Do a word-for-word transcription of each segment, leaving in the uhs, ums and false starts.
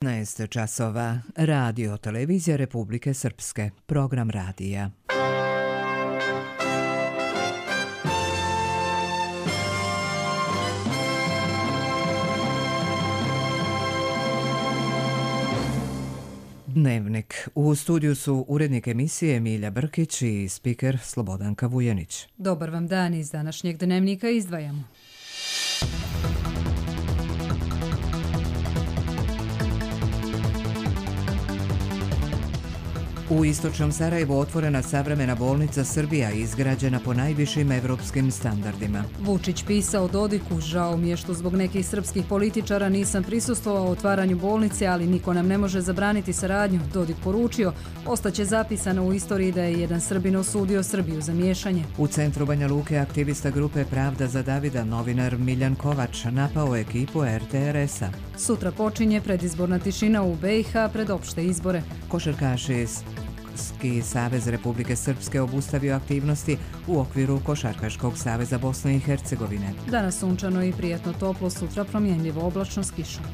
petnaest časova. Radio Televizija Republike Srpske. Program radija. Dnevnik. U studiju su urednik emisije Milja Brkić i spiker Slobodanka Vujanić. Dobar vam dan, iz današnjeg dnevnika izdvajamo. U istočnom Sarajevu otvorena savremena bolnica Srbija, izgrađena po najvišim evropskim standardima. Vučić pisao Dodiku: žao mi je što zbog nekih srpskih političara nisam prisustvovao otvaranju bolnice, ali niko nam ne može zabraniti saradnju. Dodik poručio: ostaće zapisano u istoriji da je jedan Srbin osudio Srbiju za miješanje. U centru Banja Luke aktivista grupe Pravda za Davida, novinar Miljan Kovač, napao ekipu er te er es-a. Sutra počinje predizborna tišina u be i ha pred opšte izbore. Košarkaši Košarkaški savez Republike Srpske obustavio aktivnosti u okviru Košarkaškog saveza Bosne i Hercegovine. Danas sunčano i prijatno toplo, sutra promjenljivo oblačno s kišom.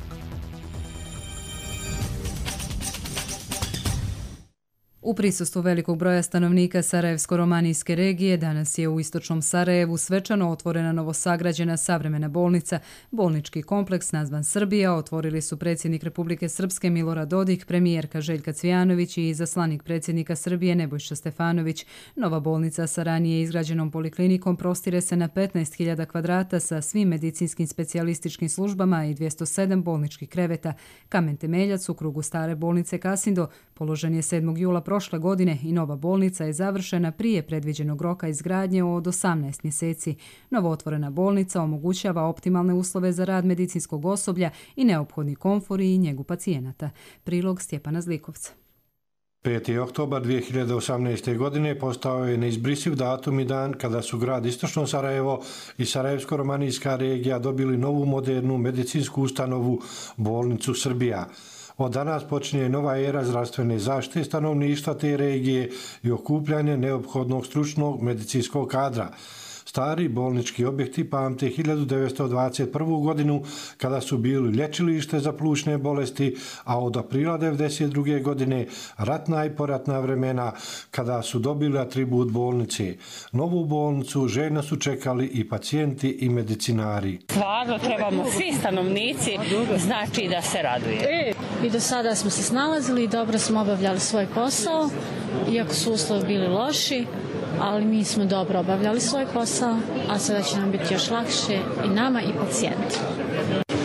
U prisustvu velikog broja stanovnika Sarajevsko-romanijske regije danas je u istočnom Sarajevu svečano otvorena novosagrađena savremena bolnica. Bolnički kompleks nazvan Srbija otvorili su predsjednik Republike Srpske Milorad Dodik, premijerka Željka Cvijanović i izaslanik predsjednika Srbije Nebojša Stefanović. Nova bolnica sa ranije izgrađenom poliklinikom prostire se na petnaest hiljada kvadrata sa svim medicinskim specijalističkim službama i dvjesto sedam bolničkih kreveta. Kamen temeljac u krugu stare bolnice Kasindo položen je sedmog jula prošle godine i nova bolnica je završena prije predviđenog roka izgradnje od osamnaest mjeseci. Novootvorena bolnica omogućava optimalne uslove za rad medicinskog osoblja i neophodni komfor i njegu pacijenata. Prilog Stjepana Zlikovca. peti oktobar dvije hiljade osamnaeste. godine postao je neizbrisiv datum i dan kada su grad Istočno Sarajevo i Sarajevsko-romanijska regija dobili novu modernu medicinsku ustanovu, bolnicu Srbija. Od danas počinje nova era zdravstvene zaštite stanovništva te regije i okupljanje neophodnog stručnog medicinskog kadra. Stari bolnički objekti pamte hiljadu devetsto dvadeset prvu. godinu kada su bili lječilište za plućne bolesti, a od aprila devedeset druge. godine ratna i poratna vremena kada su dobili atribut bolnice. Novu bolnicu željno su čekali i pacijenti i medicinari. Stvarno trebamo svi stanovnici znači da se raduje. I do sada smo se snalazili i dobro smo obavljali svoj posao, iako su uslovi bili loši, ali mi smo dobro obavljali svoj posao, a sada će nam biti još lakše i nama i pacijenti.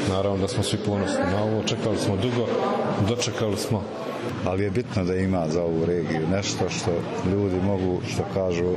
Naravno da smo svi ponosni na ovo, čekali smo dugo, dočekali smo. Ali je bitno da ima za ovu regiju nešto što ljudi mogu, što kažu,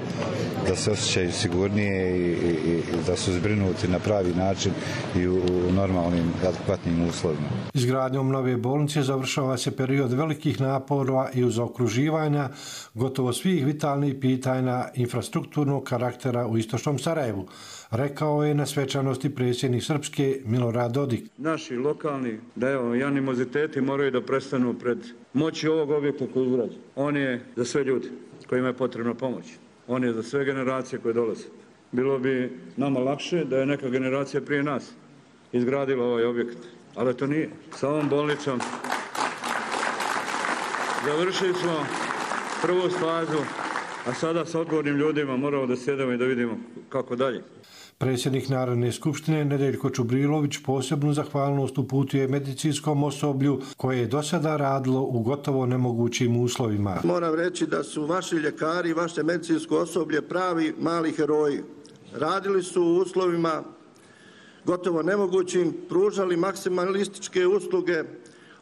da se osjećaju sigurnije i, i, i da su zbrinuti na pravi način i u, u normalnim, adekvatnim uslovima. Izgradnjom nove bolnice završava se period velikih napora i zaokruživanja gotovo svih vitalnih pitanja infrastrukturnog karaktera u istočnom Sarajevu, rekao je na svečanosti predsjednik Srpske Milorad Dodik. Naši lokalni, da evo, i animoziteti moraju da prestanu pred moći ovog objekta koji izgrađen. On je za sve ljudi kojima je potrebna pomoć. On je za sve generacije koje dolaze. Bilo bi nama lakše da je neka generacija prije nas izgradila ovaj objekt, ali to nije. Sa ovom bolnicom završili smo prvu fazu, a sada sa odgovornim ljudima moramo da sjedemo i da vidimo kako dalje. Predsjednik Narodne skupštine Nedeljko Čubrilović posebnu zahvalnost uputuje medicinskom osoblju koje je do sada radilo u gotovo nemogućim uslovima. Moram reći da su vaši ljekari i vaše medicinsko osoblje pravi mali heroji. Radili su u uslovima gotovo nemogućim, pružali maksimalističke usluge,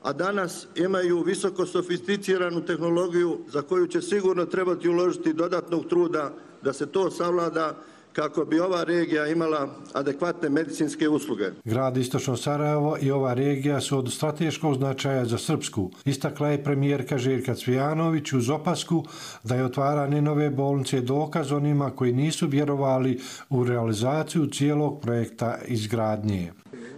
a danas imaju visoko sofisticiranu tehnologiju za koju će sigurno trebati uložiti dodatnog truda da se to savlada kako bi ova regija imala adekvatne medicinske usluge. Grad Istočno Sarajevo i ova regija su od strateškog značaja za Srpsku, istakla je premijerka Željka Cvijanović uz opasku da je otvaranje nove bolnice dokaz onima koji nisu vjerovali u realizaciju cijelog projekta izgradnje.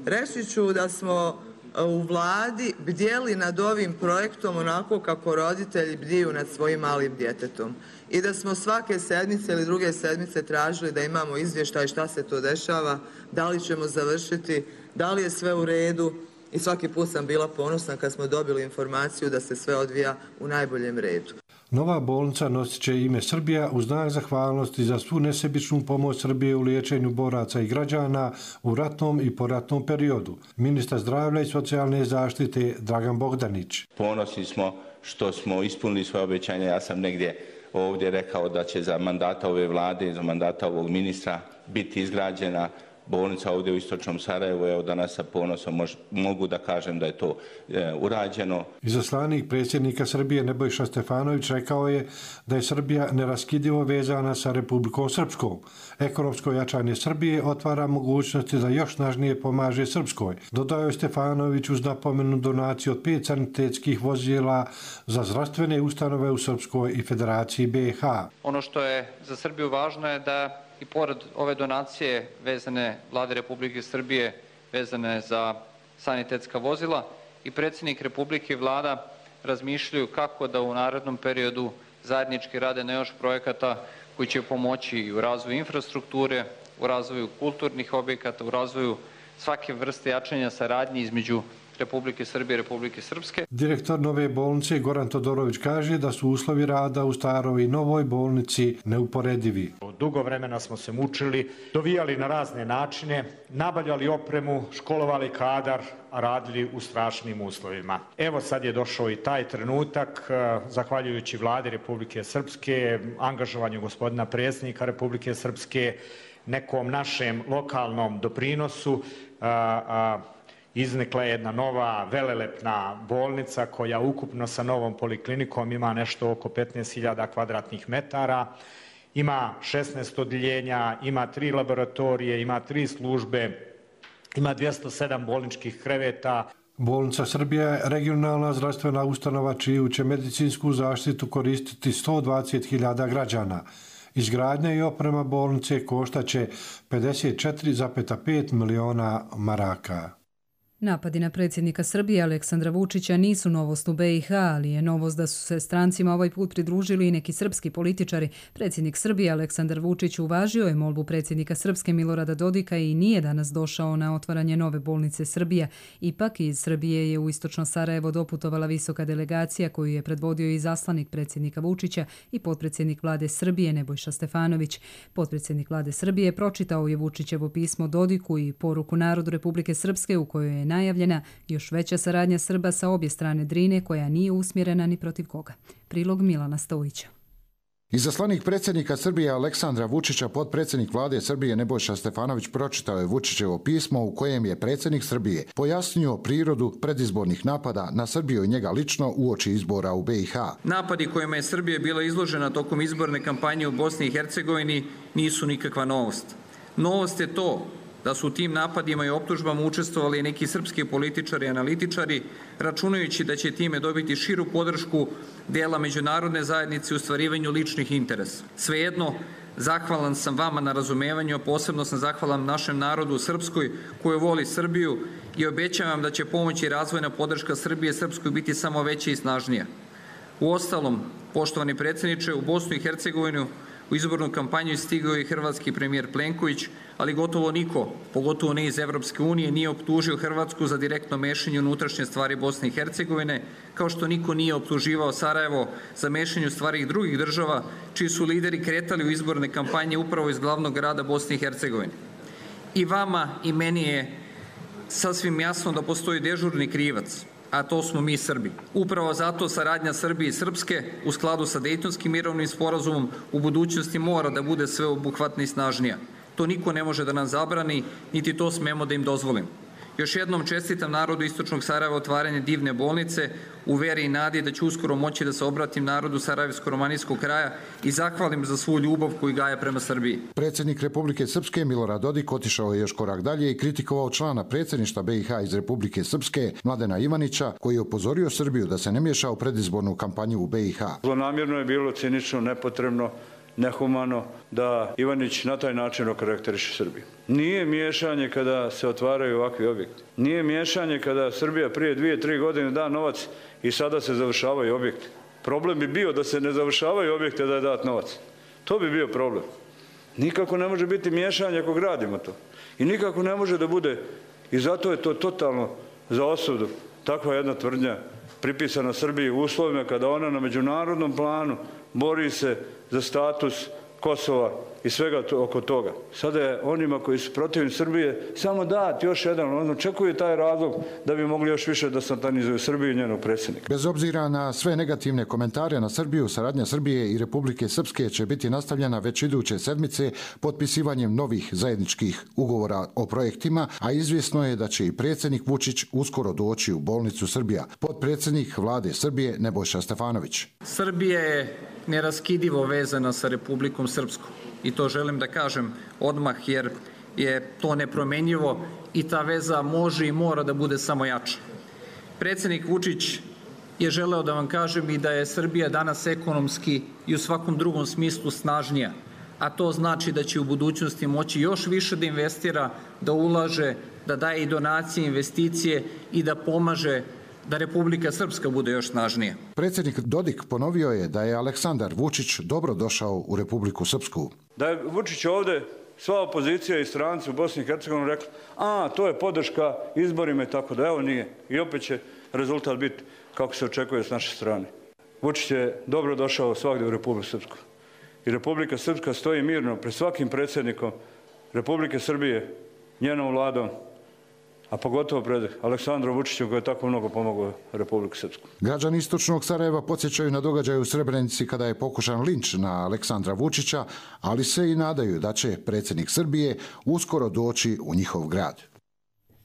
Reći ću da smo u vladi bdjeli nad ovim projektom onako kako roditelji bdiju nad svojim malim djetetom. I da smo svake sedmice ili druge sedmice tražili da imamo izvještaj šta se to dešava, da li ćemo završiti, da li je sve u redu i svaki put sam bila ponosna kad smo dobili informaciju da se sve odvija u najboljem redu. Nova bolnica nosit će ime Srbija u znak zahvalnosti za svu nesebičnu pomoć Srbije u liječenju boraca i građana u ratnom i poratnom periodu. Ministar zdravlja i socijalne zaštite Dragan Bogdanić. Ponosni smo što smo ispunili svoje obećanje. Ja sam negdje ovdje rekao da će za mandata ove vlade, za mandata ovog ministra biti izgrađena bolnica ovdje u istočnom Sarajevu. Evo danas sa ponosom mož, mogu da kažem da je to e, urađeno. Izaslanik predsjednika Srbije Nebojša Stefanović rekao je da je Srbija neraskidivo vezana sa Republikom Srpskom. Ekonomsko jačanje Srbije otvara mogućnosti da još snažnije pomaže Srpskoj. Dodao je Stefanović uz napomenu donaciju od pet sanitetskih vozila za zdravstvene ustanove u Srpskoj i Federaciji B i H. Ono što je za Srbiju važno je da i pored ove donacije vezane Vlade Republike Srbije, vezane za sanitetska vozila, i predsjednik Republike i Vlada razmišljaju kako da u narednom periodu zajednički rade na još projekata koji će pomoći i u razvoju infrastrukture, u razvoju kulturnih objekata, u razvoju svake vrste jačanja saradnje između Republike Srbije i Republike Srpske. Direktor nove bolnice Goran Todorović kaže da su uslovi rada u staroj i novoj bolnici neuporedivi. Dugo vremena smo se mučili, dovijali na razne načine, nabavljali opremu, školovali kadar, a radili u strašnim uslovima. Evo sad je došao i taj trenutak, zahvaljujući Vladi Republike Srpske, angažovanju gospodina predsjednika Republike Srpske, nekom našem lokalnom doprinosu, a, a, iznikla je jedna nova velelepna bolnica koja ukupno sa novom poliklinikom ima nešto oko petnaest hiljada kvadratnih metara, ima šesnaest odjeljenja, ima tri laboratorije, ima tri službe, ima dvjesto sedam bolničkih kreveta. Bolnica Srbija je regionalna zdravstvena ustanova čiju će medicinsku zaštitu koristiti sto dvadeset hiljada građana. Izgradnja i oprema bolnice koštaće pedeset četiri zarez pet miliona maraka. Napadi na predsjednika Srbije Aleksandra Vučića nisu novost u B i H, ali je novost da su se strancima ovaj put pridružili i neki srpski političari. Predsjednik Srbije Aleksandar Vučić uvažio je molbu predsjednika Srpske Milorada Dodika i nije danas došao na otvaranje nove bolnice Srbija. Ipak iz Srbije je u istočno Sarajevo doputovala visoka delegacija koju je predvodio i zaslanik predsjednika Vučića i potpredsjednik vlade Srbije Nebojša Stefanović. Potpredsjednik vlade Srbije pročitao je Vučićevo pismo Dodiku i poruku narodu Republike Srpske u kojoj je najavljena još veća saradnja Srba sa obje strane Drine koja nije usmjerena ni protiv koga. Prilog Milana Stojića. Izaslanik predsjednika Srbije Aleksandra Vučića, potpredsjednik vlade Srbije Nebojša Stefanović pročitao je Vučićevo pismo u kojem je predsjednik Srbije pojasnio prirodu predizbornih napada na Srbiju i njega lično uoči izbora u B i H. Napadi kojima je Srbija bila izložena tokom izborne kampanje u Bosni i Hercegovini nisu nikakva novost. Novost je to da su u tim napadima i optužbama učestvovali neki srpski političari i analitičari, računajući da će time dobiti širu podršku dela međunarodne zajednice u ostvarivanju ličnih interesa. Svejedno, zahvalan sam vama na razumevanju, a posebno sam zahvalan našem narodu u Srpskoj koji voli Srbiju i obećavam da će pomoć i razvojna podrška Srbije Srpskoj biti samo veća i snažnija. Uostalom, poštovani predsjedniče, u Bosnu i Hercegovinu u izbornu kampanju stigao je hrvatski premijer Plenković, ali gotovo niko, pogotovo ne iz Evropske unije, nije optužio Hrvatsku za direktno mešanje u unutrašnje stvari Bosne i Hercegovine, kao što niko nije optuživao Sarajevo za mešanje u stvari drugih država, čiji su lideri kretali u izborne kampanje upravo iz glavnog grada Bosne i Hercegovine. I vama i meni je sasvim jasno da postoji dežurni krivac, a to smo mi Srbi. Upravo zato saradnja Srbije i Srpske u skladu sa Dejtonskim mirovnim sporazumom u budućnosti mora da bude sveobuhvatna i snažnija. To niko ne može da nam zabrani, niti to smemo da im dozvolimo. Još jednom čestitam narodu istočnog Sarajeva otvaranje divne bolnice u veri i nadi da ću uskoro moći da se obratim narodu Sarajevsko-romanijskog kraja i zahvalim za svu ljubav koju gaje prema Srbiji. Predsjednik Republike Srpske Milorad Dodik otišao je još korak dalje i kritikovao člana predsjedništva B i H iz Republike Srpske Mladena Ivanića, koji je upozorio Srbiju da se ne miješa u predizbornu kampanju u B i H. Zlonamjerno je bilo, cinično, nepotrebno, nehumano da Ivanić na taj način okarakteriše Srbiju. Nije miješanje kada se otvaraju ovakvi objekti. Nije miješanje kada Srbija prije dvije, tri godine da novac i sada se završavaju objekti. Problem bi bio da se ne završavaju objekte da je dat novac. To bi bio problem. Nikako ne može biti miješanje ako gradimo to. I nikako ne može da bude, i zato je to totalno za osudu takva jedna tvrdnja pripisana Srbiji u uslovima kada ona na međunarodnom planu bori se za status Kosova i svega to, oko toga. Sada je onima koji su protivni Srbije samo dati još jedan, on očekuje taj razlog da bi mogli još više da satanizuju Srbiju i njenog predsjednika. Bez obzira na sve negativne komentare na Srbiju, saradnja Srbije i Republike Srpske će biti nastavljena već iduće sedmice potpisivanjem novih zajedničkih ugovora o projektima, a izvjesno je da će i predsjednik Vučić uskoro doći u bolnicu Srbija. Potpredsjednik vlade Srbije Nebojša Stefanović. Srbija je neraskidivo vezana sa Republikom Srpskom. I to želim da kažem odmah jer je to nepromenjivo i ta veza može i mora da bude samo jača. Predsjednik Vučić je želeo da vam kažem i da je Srbija danas ekonomski i u svakom drugom smislu snažnija, a to znači da će u budućnosti moći još više da investira, da ulaže, da daje i donacije, investicije i da pomaže da Republika Srpska bude još snažnija. Predsjednik Dodik ponovio je da je Aleksandar Vučić dobro došao u Republiku Srpsku. Da je Vučić ovde, sva opozicija i stranci u Bosni i Hercegovini rekli, a to je podrška izborima i tako da, evo nije. I opet će rezultat biti kako se očekuje s naše strane. Vučić je dobro došao svagdje u Republiku Srpsku. I Republika Srpska stoji mirno pred svakim predsjednikom Republike Srbije, njenom vladom, a pogotovo pred Aleksandrom Vučićem koji je tako mnogo pomogao Republiku Srpsku. Građani istočnog Sarajeva podsjećaju na događaj u Srebrenici kada je pokušan linč na Aleksandra Vučića, ali se i nadaju da će predsjednik Srbije uskoro doći u njihov grad.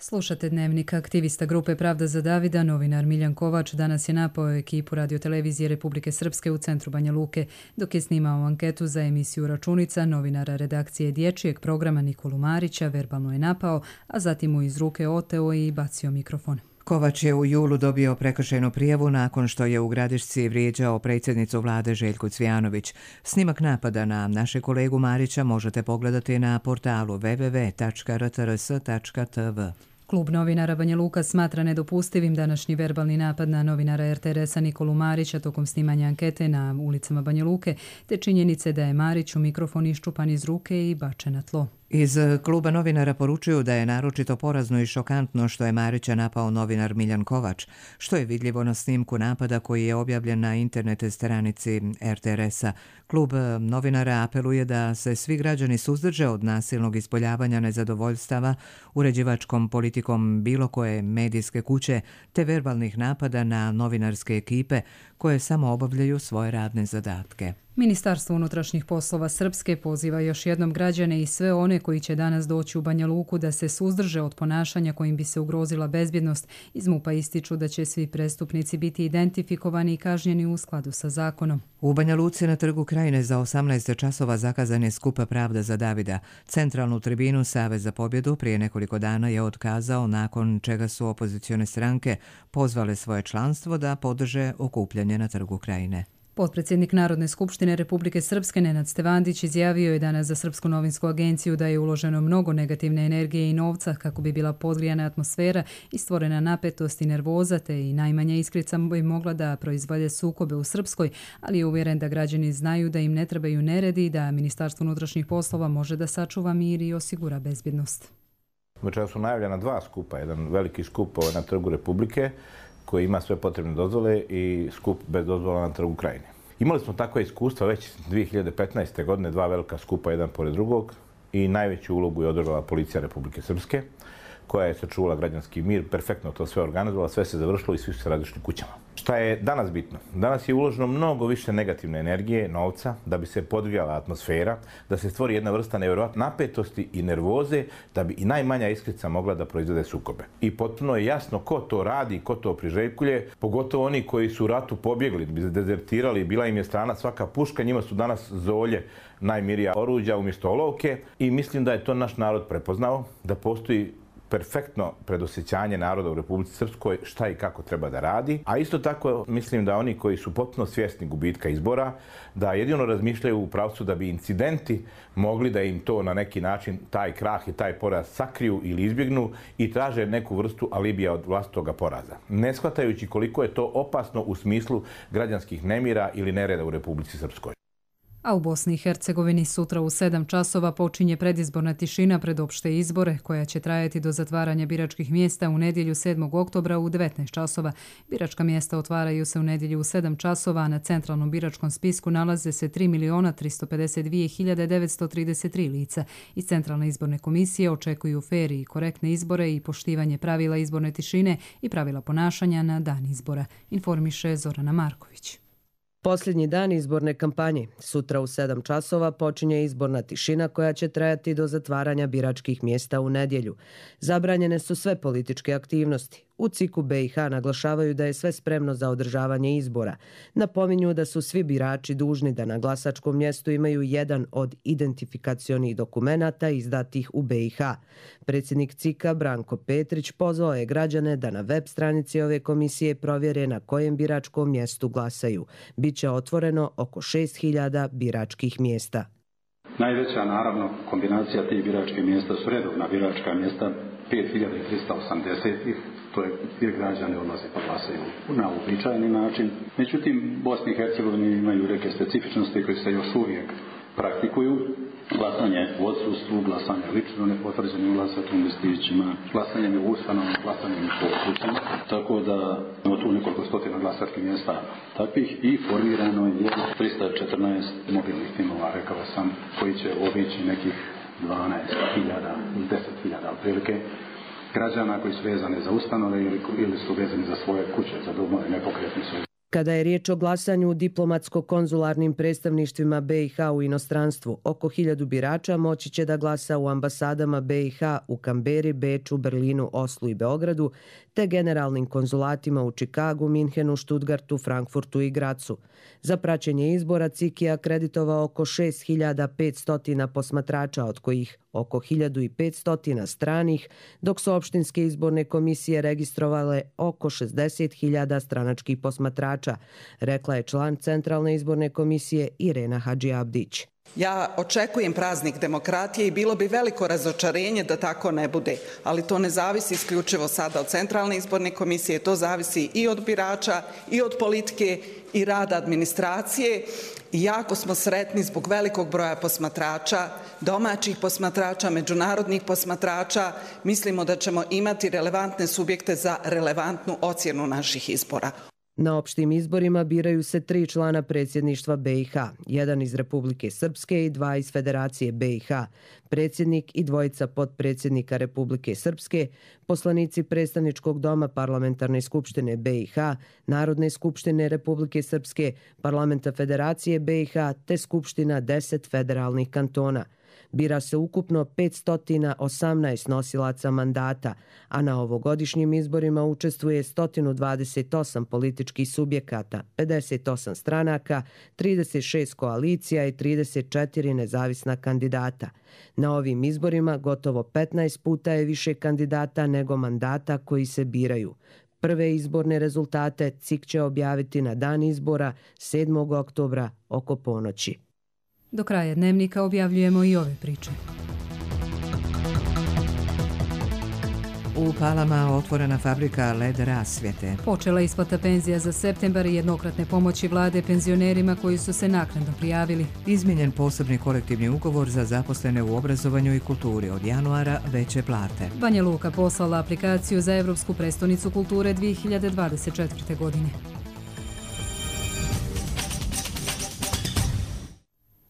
Slušate Dnevnik. Aktivista grupe Pravda za Davida, novinar Miljan Kovač, danas je napao ekipu radiotelevizije Republike Srpske u centru Banja Luke, dok je snimao anketu za emisiju Računica, novinara redakcije dječjeg programa Nikolu Marića verbalno je napao, a zatim mu iz ruke oteo i bacio mikrofon. Kovač je u julu dobio prekršajnu prijavu nakon što je u Gradišci vrijeđao predsjednicu vlade Željku Cvijanović. Snimak napada na naše kolegu Marića možete pogledati na portalu w w w tačka r t r s tačka t v. Klub novinara Banja Luka smatra nedopustivim današnji verbalni napad na novinara er te er es-a Nikolu Marića tokom snimanja ankete na ulicama Banja Luke, te činjenice da je Mariću mikrofon iščupan iz ruke i bačen na tlo. Iz kluba novinara poručuju da je naročito porazno i šokantno što je Marića napao novinar Miljan Kovač, što je vidljivo na snimku napada koji je objavljen na internet stranici er te er es-a. Klub novinara apeluje da se svi građani suzdrže od nasilnog ispoljavanja nezadovoljstava uređivačkom politikom bilo koje medijske kuće te verbalnih napada na novinarske ekipe koje samo obavljaju svoje radne zadatke. Ministarstvo unutrašnjih poslova Srpske poziva još jednom građane i sve one koji će danas doći u Banja Luku da se suzdrže od ponašanja kojim bi se ugrozila bezbjednost. Iz MUP-a ističu da će svi prestupnici biti identifikovani i kažnjeni u skladu sa zakonom. U Banja Luci na Trgu Krajine za osamnaest časova zakazan je skup Pravda za Davida. Centralnu tribinu Savez za pobjedu prije nekoliko dana je otkazao, nakon čega su opozicione stranke pozvale svoje članstvo da podrže okupljanje na Trgu Krajine. Potpredsjednik Narodne skupštine Republike Srpske Nenad Stevandić izjavio je danas za Srpsku novinsku agenciju da je uloženo mnogo negativne energije i novca kako bi bila podgrijana atmosfera i stvorena napetost i nervoza, te i najmanja iskrica bi mogla da proizvode sukobe u Srpskoj, ali je uvjeren da građani znaju da im ne trebaju neredi i da Ministarstvo unutrašnjih poslova može da sačuva mir i osigura bezbjednost. Večeras su najavljena dva skupa, jedan veliki skup na Trgu Republike koji ima sve potrebne dozvole i skup bez dozvola na Trgu Krajine. Imali smo takva iskustva već dvije hiljade petnaeste. godine, dva velika skupa jedan pored drugog i najveću ulogu je odigrala policija Republike Srpske koja je sačuvala građanski mir, perfektno to sve organizovala, sve se završilo i svi su se različili kućama. Šta je danas bitno? Danas je uloženo mnogo više negativne energije, novca, da bi se podgrijala atmosfera, da se stvori jedna vrsta nevjerojatne napetosti i nervoze, da bi i najmanja iskrica mogla da proizvede sukobe. I potpuno je jasno ko to radi, ko to priželjkuje, pogotovo oni koji su u ratu pobjegli, dezertirali, bila im je strana svaka puška, njima su danas zolje najmirija oruđa umjesto olovke i mislim da je to naš narod prepoznao, da postoji perfektno predosjećanje naroda u Republici Srpskoj šta i kako treba da radi. A isto tako mislim da oni koji su potpuno svjesni gubitka izbora, da jedino razmišljaju u pravcu da bi incidenti mogli da im to na neki način, taj krah i taj poraz sakriju ili izbjegnu i traže neku vrstu alibija od vlastitoga poraza. Ne shvatajući koliko je to opasno u smislu građanskih nemira ili nereda u Republici Srpskoj. A u Bosni i Hercegovini sutra u sedam časova počinje predizborna tišina pred opšte izbore, koja će trajati do zatvaranja biračkih mjesta u nedjelju sedmog oktobra u devetnaest časova. Biračka mjesta otvaraju se u nedjelju u sedam časova, a na centralnom biračkom spisku nalaze se tri miliona tristo pedeset dvije hiljade devetsto trideset tri lica. Iz Centralne izborne komisije očekuju fer i korektne izbore i poštivanje pravila izborne tišine i pravila ponašanja na dan izbora, informiše Zorana Marković. Posljednji dan izborne kampanje. Sutra u sedam časova počinje izborna tišina koja će trajati do zatvaranja biračkih mjesta u nedjelju. Zabranjene su sve političke aktivnosti. U C I K-u B i H naglašavaju da je sve spremno za održavanje izbora. Napominju da su svi birači dužni da na glasačkom mjestu imaju jedan od identifikacionih dokumenata izdatih u B i H. Predsjednik C I K-a Branko Petrić pozvao je građane da na web stranici ove komisije provjere na kojem biračkom mjestu glasaju. Biće otvoreno oko šest hiljada biračkih mjesta. Najveća, naravno, kombinacija tih biračkih mjesta su redovna biračka mjesta, pet hiljada trista osamdeset, to je gdje građani odlaze pa glasaju na uobičajeni način. Međutim, Bosni i Hercegovini imaju neke specifičnosti koje se još uvijek praktikuju. Glasanje u odsustvu, glasanje lično nepotvrđenim glasačkim listićima, glasanje u ustanovama, glasanje u područjima. Tako da imamo tu nekoliko stotina glasačkih mjesta takvih i formirano je trista četrnaest mobilnih timova, rekao sam, koji će obići nekih dvanaest hiljada, deset hiljada otprilike građana koji su vezani za ustanove ili, ili su vezani za svoje kuće, za domove, nepokretni su. Kada je riječ o glasanju u diplomatsko-konzularnim predstavništvima B i H u inostranstvu, oko hiljadu birača moći će da glasa u ambasadama B i H u Kamberi, Beču, Berlinu, Oslu i Beogradu, te generalnim konzulatima u Čikagu, Minhenu, Štutgartu, Frankfurtu i Gracu. Za praćenje izbora C I K je akreditovao oko šest hiljada petsto posmatrača, od kojih oko hiljadu petsto stranih, dok su opštinske izborne komisije registrovale oko šezdeset hiljada stranačkih posmatrača, rekla je član Centralne izborne komisije Irena Hadžiabdić. Ja očekujem praznik demokratije i bilo bi veliko razočarenje da tako ne bude, ali to ne zavisi isključivo sada od Centralne izborne komisije, to zavisi i od birača, i od politike, i rada administracije. I jako smo sretni zbog velikog broja posmatrača, domaćih posmatrača, međunarodnih posmatrača. Mislimo da ćemo imati relevantne subjekte za relevantnu ocjenu naših izbora. Na opštim izborima biraju se tri člana predsjedništva B i H, jedan iz Republike Srpske i dva iz Federacije B i H, predsjednik i dvojica potpredsjednika Republike Srpske, poslanici predstavničkog doma Parlamentarne skupštine B i H, Narodne skupštine Republike Srpske, Parlamenta Federacije B i H te Skupština deset federalnih kantona. Bira se ukupno petsto osamnaest nosilaca mandata, a na ovogodišnjim izborima učestvuje sto dvadeset osam političkih subjekata, pedeset osam stranaka, trideset šest koalicija i trideset četiri nezavisna kandidata. Na ovim izborima gotovo petnaest puta je više kandidata nego mandata koji se biraju. Prve izborne rezultate C I K će objaviti na dan izbora sedmog oktobra oko ponoći. Do kraja dnevnika objavljujemo i ove priče. U Palama otvorena fabrika L E D rasvjete. Počela isplata penzija za septembar i jednokratne pomoći vlade penzionerima koji su se naknadno prijavili. Izmijenjen posebni kolektivni ugovor za zaposlene u obrazovanju i kulturi, od januara veće plate. Banja Luka poslala aplikaciju za Evropsku prestonicu kulture dvije hiljade dvadeset četvrte. godine.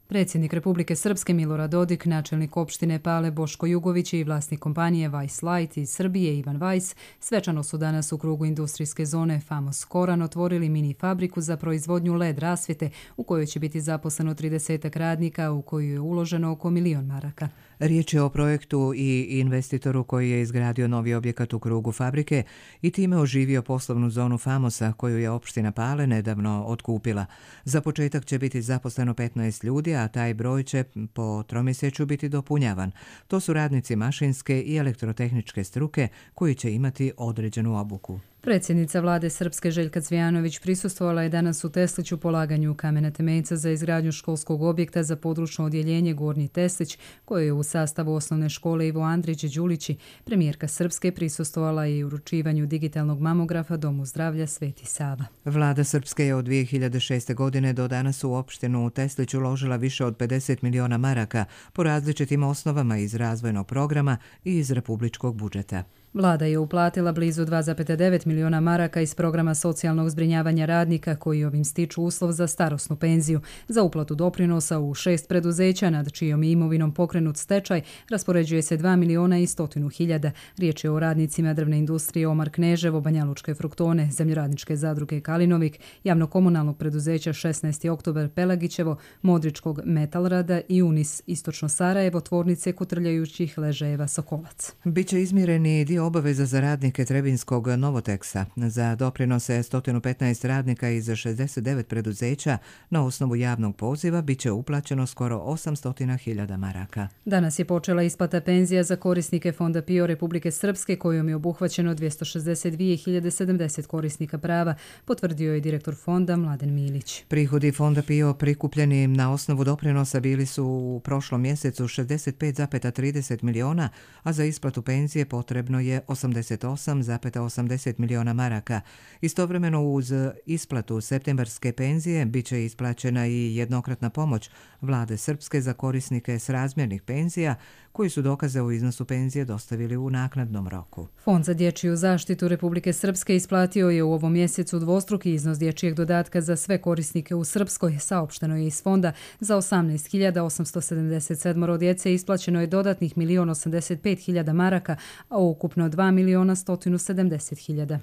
Predsjednik Republike Srpske Milorad Dodik, načelnik opštine Pale Boško Jugović i vlasnik kompanije Weiss Light iz Srbije Ivan Weiss svečano su danas u krugu industrijske zone Famos Koran otvorili mini fabriku za proizvodnju L E D rasvjete u kojoj će biti zaposleno trideset radnika, u koju je uloženo oko milion maraka. Riječ je o projektu i investitoru koji je izgradio novi objekat u krugu fabrike i time oživio poslovnu zonu Famosa koju je opština Pale nedavno otkupila. Za početak će biti zaposleno petnaest ljudi, a taj broj će po tromjesečju biti dopunjavan. To su radnici mašinske i elektrotehničke struke koji će imati određenu obuku. Predsjednica vlade Srpske Željka Cvijanović prisustvovala je danas u Tesliću polaganju kamena temeljca za izgradnju školskog objekta za područno odjeljenje Gornji Teslić, koje je u sastavu osnovne škole Ivo Andrić Đulići. Premijerka Srpske prisustvovala je i uručivanju digitalnog mamografa Domu zdravlja Sveti Sava. Vlada Srpske je od dvije hiljade šeste. godine do danas u opštinu u Teslić uložila više od pedeset miliona maraka po različitim osnovama iz razvojnog programa i iz republičkog budžeta. Vlada je uplatila blizu dva zarez devet miliona maraka iz programa socijalnog zbrinjavanja radnika koji ovim stiču uslov za starosnu penziju. Za uplatu doprinosa u šest preduzeća nad čijom je imovinom pokrenut stečaj raspoređuje se dva miliona i stotinu hiljada. Riječ je o radnicima drvne industrije Omar Kneževo, Banjalučke fruktone, Zemljoradničke zadruge Kalinovik, javno-komunalnog preduzeća šesnaesti oktobar Pelagićevo, Modričkog Metalrada i Unis Istočno Sarajevo, tvornice kotrljajućih ležajeva Sokolac. Biće izmireni dio obaveza za radnike Trebinskog Novoteksa. Za doprinose sto petnaest radnika iz šezdeset devet preduzeća na osnovu javnog poziva biće uplaćeno skoro osamsto hiljada maraka. Danas je počela isplata penzija za korisnike Fonda PIO Republike Srpske kojom je obuhvaćeno dvjesto šezdeset dvije hiljade sedamdeset korisnika prava, potvrdio je direktor fonda Mladen Milić. Prihodi Fonda PIO prikupljeni na osnovu doprinosa bili su u prošlom mjesecu šezdeset pet zarez trideset miliona, a za isplatu penzije potrebno je osamdeset osam zarez osamdeset miliona maraka. Istovremeno uz isplatu septembarske penzije biće isplaćena i jednokratna pomoć vlade Srpske za korisnike s razmjernih penzija koji su dokaze o iznosu penzije dostavili u naknadnom roku. Fond za dječju zaštitu Republike Srpske isplatio je u ovom mjesecu dvostruki iznos dječjeg dodatka za sve korisnike u Srpskoj. Saopšteno je iz fonda za osamnaest hiljada osamsto sedamdeset sedam djece isplaćeno je dodatnih milion osamdeset pet hiljada maraka, a ukupno dva miliona sto sedamdeset hiljada.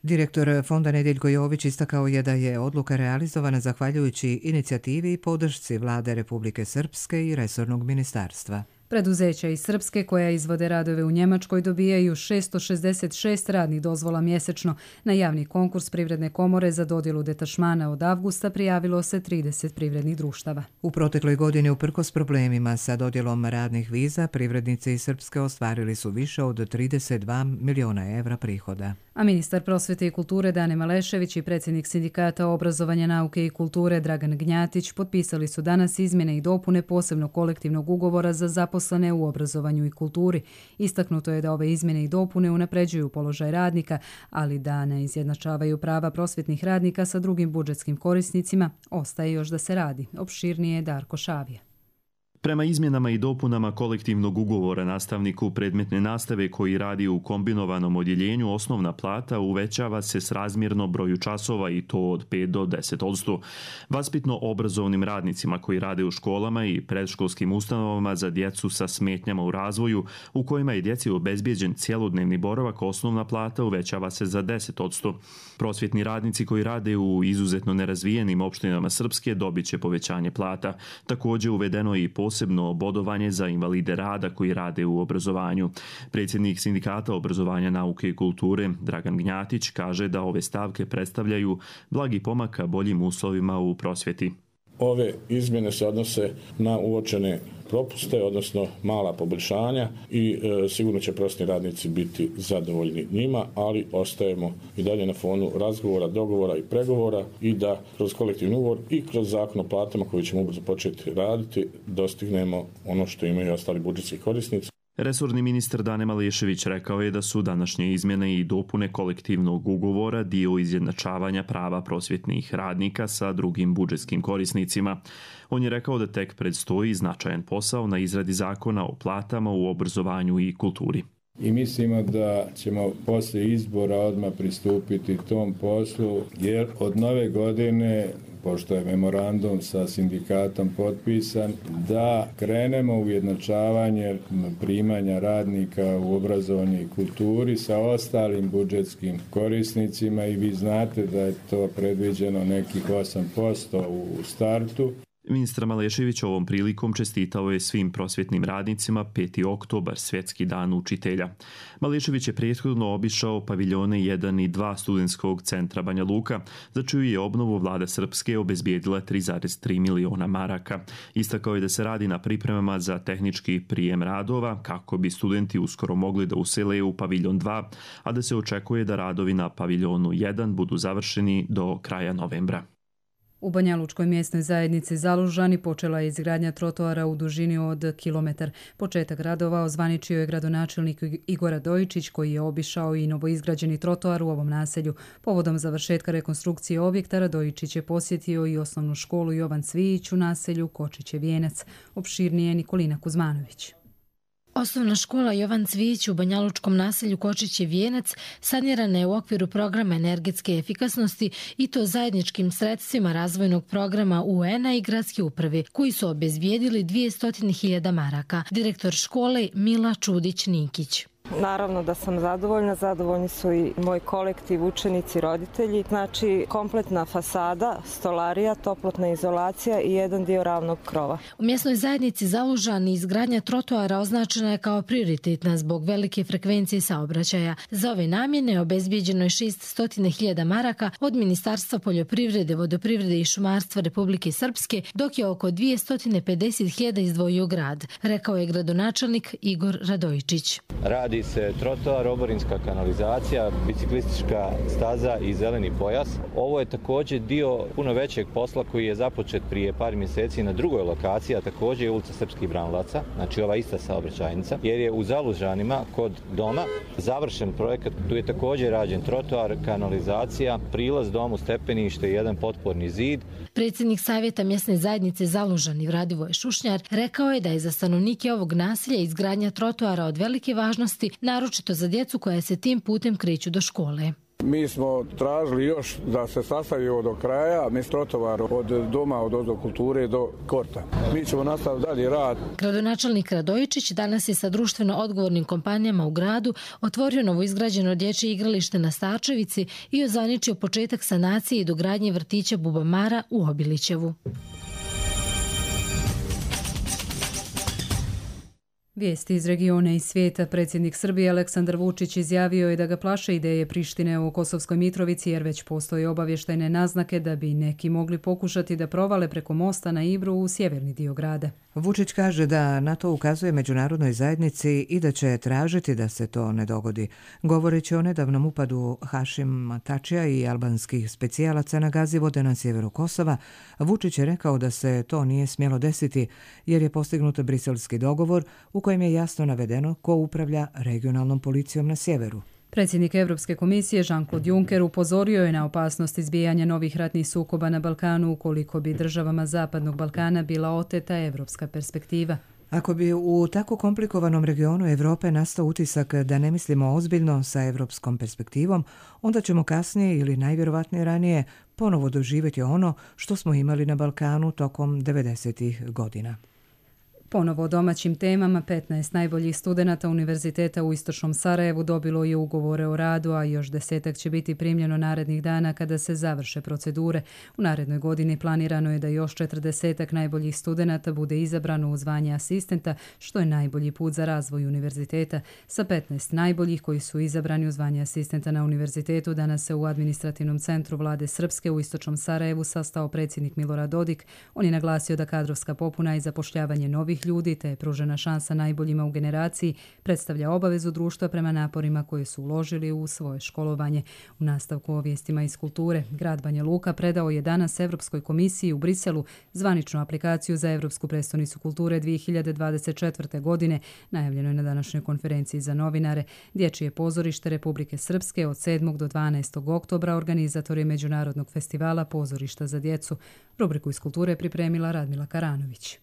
Direktor fonda Nedjeljko Jović istakao je da je odluka realizovana zahvaljujući inicijativi i podršci vlade Republike Srpske i resornog ministarstva. Preduzeća iz Srpske koja izvode radove u Njemačkoj dobijaju šesto šezdeset šest radnih dozvola mjesečno. Na javni konkurs Privredne komore za dodjelu detašmana od avgusta prijavilo se trideset privrednih društava. U protekloj godini, uprkos problemima sa dodjelom radnih viza, privrednici iz Srpske ostvarili su više od trideset dva miliona evra prihoda. A ministar prosvete i kulture Dane Malešević i predsjednik sindikata obrazovanja, nauke i kulture Dragan Gnjatić potpisali su danas izmjene i dopune posebnog kolektivnog ugovora za zaposlene u obrazovanju i kulturi. Istaknuto je da ove izmjene i dopune unapređuju položaj radnika, ali da ne izjednačavaju prava prosvjetnih radnika sa drugim budžetskim korisnicima, ostaje još da se radi. Opširnije je Darko Šavija. Prema izmjenama i dopunama kolektivnog ugovora nastavniku predmetne nastave koji radi u kombinovanom odjeljenju osnovna plata uvećava se s razmjerno broju časova i to od pet do deset odsto. Vaspitno obrazovnim radnicima koji rade u školama i predškolskim ustanovama za djecu sa smetnjama u razvoju u kojima je djeci obezbijeđen cjelodnevni boravak osnovna plata uvećava se za deset odsto. Prosvjetni radnici koji rade u izuzetno nerazvijenim opštinama Srpske dobit će povećanje plata. Također uvedeno je i posebno bodovanje za invalide rada koji rade u obrazovanju. Predsjednik sindikata obrazovanja, nauke i kulture Dragan Gnjatić kaže da ove stavke predstavljaju blagi pomak ka boljim uslovima u prosvjeti. Ove izmjene se odnose na uočene propuste, odnosno mala poboljšanja i e, sigurno će prosvjetni radnici biti zadovoljni njima, ali ostajemo i dalje na fonu razgovora, dogovora i pregovora i da kroz kolektivni ugovor i kroz zakon o platama koji ćemo ubrzo početi raditi dostignemo ono što imaju ostali budžetski korisnici. Resorni ministar Dane Malešević rekao je da su današnje izmjene i dopune kolektivnog ugovora dio izjednačavanja prava prosvjetnih radnika sa drugim budžetskim korisnicima. On je rekao da tek predstoji značajan posao na izradi zakona o platama u obrazovanju i kulturi. I mislimo da ćemo poslije izbora odmah pristupiti tom poslu, jer od nove godine, pošto je memorandum sa sindikatom potpisan, da krenemo u ujednačavanje primanja radnika u obrazovanju i kulturi sa ostalim budžetskim korisnicima i vi znate da je to predviđeno nekih osam posto u startu. Ministar Malešević ovom prilikom čestitao je svim prosvjetnim radnicima peti oktobar, svjetski dan učitelja. Malešević je prethodno obišao paviljone jedan i dva studentskog centra Banja Luka, za čiju je obnovu vlada Srpske obezbijedila tri zarez tri miliona maraka. Istakao je da se radi na pripremama za tehnički prijem radova kako bi studenti uskoro mogli da usele u paviljon dva, a da se očekuje da radovi na paviljonu jedan budu završeni do kraja novembra. U Banjalučkoj mjesnoj zajednici Zalužani počela je izgradnja trotoara u dužini od kilometar. Početak radova ozvaničio je gradonačelnik Igor Radojičić, koji je obišao i novoizgrađeni trotoar u ovom naselju. Povodom završetka rekonstrukcije objekta Radojičić je posjetio i osnovnu školu Jovan Cvijić u naselju Kočiće Vijenac. Opširnije Nikolina Kuzmanović. Osnovna škola Jovan Cvijić u banjalučkom naselju Kočiće Vijenac sanirana je u okviru programa energetske efikasnosti i to zajedničkim sredstvima razvojnog programa U N-a i gradske uprave, koji su obezbijedili dvjesto hiljada maraka. Direktor škole Mila Čudić-Nikić. Naravno da sam zadovoljna, zadovoljni su i moj kolektiv, učenici, roditelji. Znači kompletna fasada, stolarija, toplotna izolacija i jedan dio ravnog krova. U mjesnoj zajednici Zalužani izgradnja trotoara označena je kao prioritetna zbog velike frekvencije saobraćaja. Za ove namjene obezbijeđeno je šessto hiljada maraka od Ministarstva poljoprivrede, vodoprivrede i šumarstva Republike Srpske, dok je oko dvjesto pedeset hiljada izdvojio grad, rekao je gradonačelnik Igor Radojičić. Radi se trotoar, oborinska kanalizacija, biciklistička staza i zeleni pojas. Ovo je također dio puno većeg posla koji je započet prije par mjeseci na drugoj lokaciji, a također je ulica Srpskih Branilaca, znači ova ista saobraćajnica, jer je u Zalužanima kod doma završen projekat. Tu je također rađen trotoar, kanalizacija, prilaz domu, stepenište i jedan potporni zid. Predsjednik Savjeta mjesne zajednice Zalužani Radivoje Šušnjar rekao je da je za stanovnike ovog naselja izgradnja trotoara od velike važnosti, naročito za djecu koja se tim putem kreću do škole. Mi smo tražili još da se sastavi ovo do kraja, mi trotovar od doma, od ozdo kulture do korta. Mi ćemo nastaviti dalje rad. Gradonačelnik Radojičić danas je sa društveno odgovornim kompanijama u gradu otvorio novoizgrađeno dječje igralište na Starčevici i ozvaničio početak sanacije i dogradnje vrtića Bubamara u Obilićevu. Vijesti iz regiona i svijeta. Predsjednik Srbije Aleksandar Vučić izjavio je da ga plaše ideje Prištine o Kosovskoj Mitrovici, jer već postoje obavještajne naznake da bi neki mogli pokušati da provale preko mosta na Ibru u sjeverni dio grada. Vučić kaže da na to ukazuje međunarodnoj zajednici i da će tražiti da se to ne dogodi. Govoreći o nedavnom upadu Hašim Tačija i albanskih specijalaca na Gazivode na sjeveru Kosova, Vučić je rekao da se to nije smjelo desiti jer je postignut briselski dogovor u kojem je jasno navedeno ko upravlja regionalnom policijom na sjeveru. Predsjednik Europske komisije Jean-Claude Juncker upozorio je na opasnost izbijanja novih ratnih sukoba na Balkanu ukoliko bi državama Zapadnog Balkana bila oteta evropska perspektiva. Ako bi u tako komplikovanom regionu Evrope nastao utisak da ne mislimo ozbiljno sa evropskom perspektivom, onda ćemo kasnije ili najvjerovatnije ranije ponovo doživjeti ono što smo imali na Balkanu tokom devedesetih godina. Ponovo o domaćim temama, petnaest najboljih studenata Univerziteta u Istočnom Sarajevu dobilo je ugovore o radu, a još desetak će biti primljeno narednih dana kada se završe procedure. U narednoj godini planirano je da još četrdesetak najboljih studenata bude izabrano u zvanje asistenta, što je najbolji put za razvoj univerziteta. Sa petnaest najboljih koji su izabrani u zvanje asistenta na univerzitetu, danas se u administrativnom centru vlade Srpske u Istočnom Sarajevu sastao predsjednik Milorad Dodik. On je naglasio da kadrovska popuna i zapošljavanje novih ljudi te je pružena šansa najboljima u generaciji predstavlja obavezu društva prema naporima koje su uložili u svoje školovanje. U nastavku o vijestima iz kulture, grad Banja Luka predao je danas Evropskoj komisiji u Briselu zvaničnu aplikaciju za Evropsku prestonicu kulture dvije hiljade dvadeset četvrte. godine. Najavljeno je na današnjoj konferenciji za novinare. Dječje pozorište Republike Srpske od sedmog do dvanaestog oktobra organizator je Međunarodnog festivala pozorišta za djecu. Rubriku iz kulture pripremila Radmila Karanović.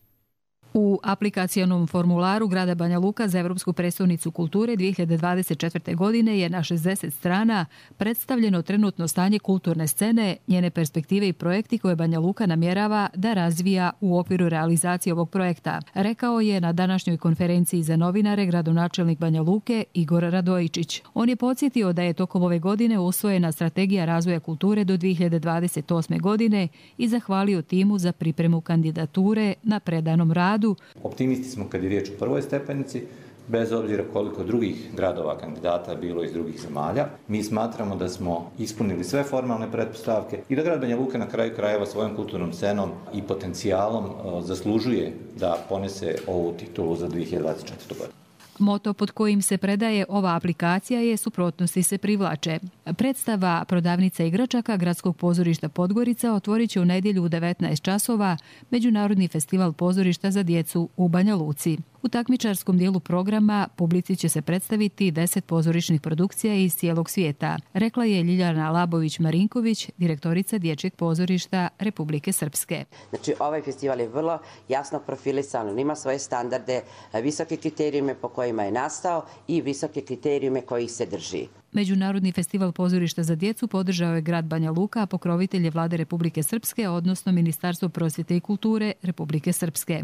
U aplikacionom formularu grada Banja Luka za Evropsku prestolnicu kulture dvije hiljade dvadeset četvrte. godine je na šezdeset strana predstavljeno trenutno stanje kulturne scene, njene perspektive i projekti koje Banja Luka namjerava da razvija u okviru realizacije ovog projekta, rekao je na današnjoj konferenciji za novinare gradonačelnik Banja Luke Igor Radojičić. On je podsjetio da je tokom ove godine usvojena strategija razvoja kulture do dvije hiljade dvadeset osme. godine i zahvalio timu za pripremu kandidature na predanom radu. Optimisti smo kad je riječ o prvoj stepenici, bez obzira koliko drugih gradova kandidata bilo iz drugih zemalja. Mi smatramo da smo ispunili sve formalne pretpostavke i da grad Banja Luka na kraju krajeva svojom kulturnom scenom i potencijalom zaslužuje da ponese ovu titulu za dvije hiljade dvadeset četvrtu. godinu. Moto pod kojim se predaje ova aplikacija je Suprotnosti se privlače. Predstava Prodavnica igračaka Gradskog pozorišta Podgorica otvorit će u nedjelju u devetnaest časova Međunarodni festival pozorišta za djecu u Banja Luci. U takmičarskom dijelu programa publici će se predstaviti deset pozorišnih produkcija iz cijelog svijeta, rekla je Ljiljana Labović-Marinković, direktorica Dječjeg pozorišta Republike Srpske. Znači, ovaj festival je vrlo jasno profilisan, on ima svoje standarde, visoke kriterijume po kojima je nastao i visoke kriterijume kojih se drži. Međunarodni festival pozorišta za djecu podržao je grad Banja Luka, a pokrovitelj je Vlade Republike Srpske, odnosno Ministarstvo prosvjete i kulture Republike Srpske.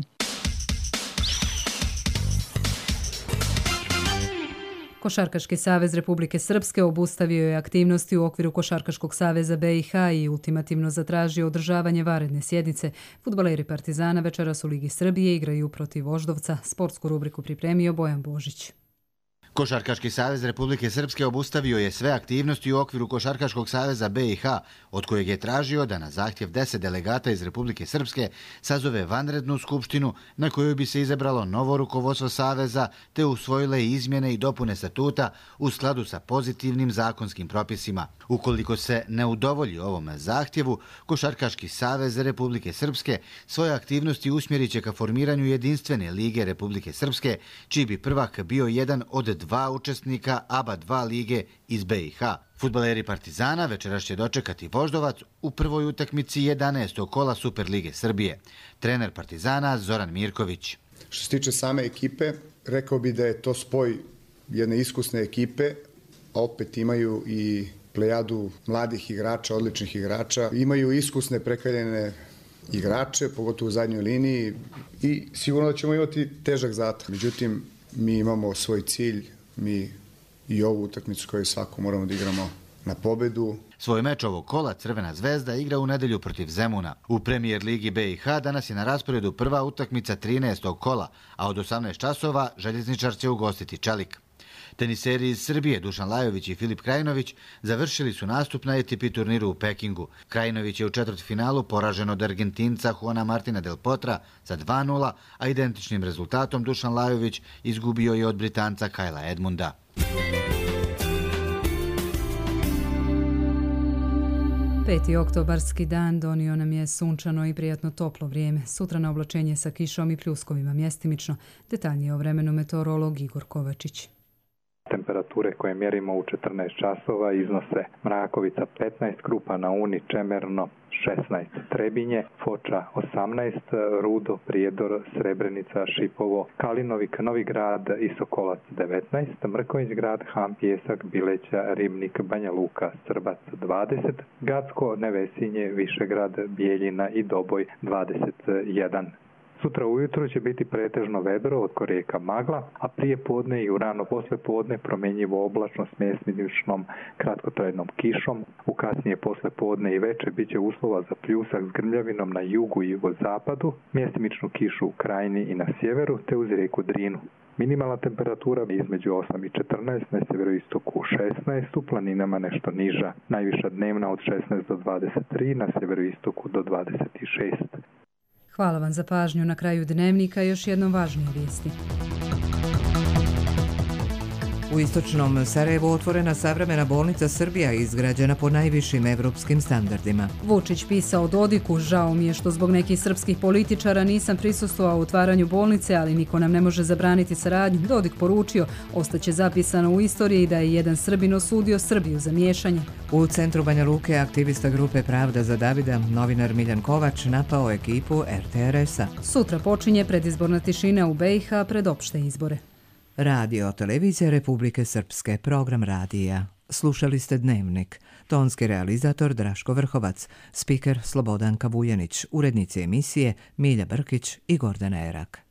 Košarkaški savez Republike Srpske obustavio je aktivnosti u okviru Košarkaškog saveza B i H i ultimativno zatražio održavanje vanredne sjednice. Fudbaleri Partizana večeras u Ligi Srbije igraju protiv Voždovca. Sportsku rubriku pripremio Bojan Božić. Košarkaški savez Republike Srpske obustavio je sve aktivnosti u okviru Košarkaškog saveza B i H, od kojeg je tražio da na zahtjev deset delegata iz Republike Srpske sazove vanrednu skupštinu na kojoj bi se izabralo novo rukovodstvo saveza te usvojile izmjene i dopune statuta u skladu sa pozitivnim zakonskim propisima. Ukoliko se ne udovolji ovom zahtjevu, Košarkaški savez Republike Srpske svoje aktivnosti usmjerit će ka formiranju jedinstvene lige Republike Srpske, čiji bi prvak bio jedan od dva učesnika A B A dva lige iz B i H. Fudbaleri Partizana večeras će dočekati Voždovac u prvoj utakmici jedanaestog kola Super lige Srbije. Trener Partizana Zoran Mirković. Što se tiče same ekipe, rekao bi da je to spoj jedne iskusne ekipe, a opet imaju i plejadu mladih igrača, odličnih igrača. Imaju iskusne prekaljene igrače, pogotovo u zadnjoj liniji i sigurno da ćemo imati težak zadatak. Međutim, mi imamo svoj cilj, mi i ovu utakmicu koju svako moramo da igramo na pobedu. Svoj meč ovog kola Crvena zvezda igra u nedelju protiv Zemuna. U Premier ligi B i H danas je na rasporedu prva utakmica trinaestog kola, a od osamnaest časova Željezničar će ugostiti Čelik. Teniseri iz Srbije Dušan Lajović i Filip Krajinović završili su nastup na A T P turniru u Pekingu. Krajinović je u četvrtfinalu poražen od Argentinca Juana Martina del Potra za dva nula, a identičnim rezultatom Dušan Lajović izgubio je od Britanca Kajla Edmunda. Peti oktobarski dan donio nam je sunčano i prijatno toplo vrijeme. Sutra na oblačenje sa kišom i pljuskovima mjestimično. Detaljnije o vremenu meteorolog Igor Kovačić. Temperature koje mjerimo u četrnaest časova iznose Mrakovica petnaest, Krupa na Uni, Čemerno šesnaest, Trebinje, Foča osamnaest, Rudo, Prijedor, Srebrenica, Šipovo, Kalinovik, Novi Grad i Sokolac devetnaest, Mrkonjić Grad, Han, Pjesak, Bileća, Ribnik, Banja Luka, Srbac dvadeset, Gacko, Nevesinje, Višegrad, Bijeljina i Doboj dvadeset jedan. Sutra ujutro će biti pretežno vedro, od korijeka magla, a prije podne i u rano posle podne promjenjivo oblačno s mjestimičnom kratkotrajnom kišom. U kasnije posle podne i veče bit će uslova za pljusak s grmljavinom na jugu i jugozapadu, mjestimičnu kišu u krajini i na sjeveru, te uz rijeku Drinu. Minimalna temperatura je između osam i četrnaest, na sjeveroistoku šesnaest, u planinama nešto niža. Najviša dnevna od šesnaest do dvadeset tri, na sjeveroistoku do dvadeset šest. Hvala vam za pažnju. Na kraju dnevnika još jednom važnije vijesti. U istočnom Sarajevu otvorena savremena bolnica Srbija izgrađena po najvišim evropskim standardima. Vučić pisao Dodiku, žao mi je što zbog nekih srpskih političara nisam prisustvovao u otvaranju bolnice, ali niko nam ne može zabraniti saradnju. Dodik poručio, ostaće zapisano u istoriji da je jedan Srbin osudio Srbiju za miješanje. U centru Banja Luke aktivista grupe Pravda za Davida, novinar Miljan Kovač, napao ekipu er te er es-a. Sutra počinje predizborna tišina u be i ha pred opšte izbore. Radio Televizija Republike Srpske, program radija. Slušali ste Dnevnik. Tonski realizator Draško Vrhovac, spiker Slobodanka Vujanić, urednici emisije Milja Brkić i Gordana Erak.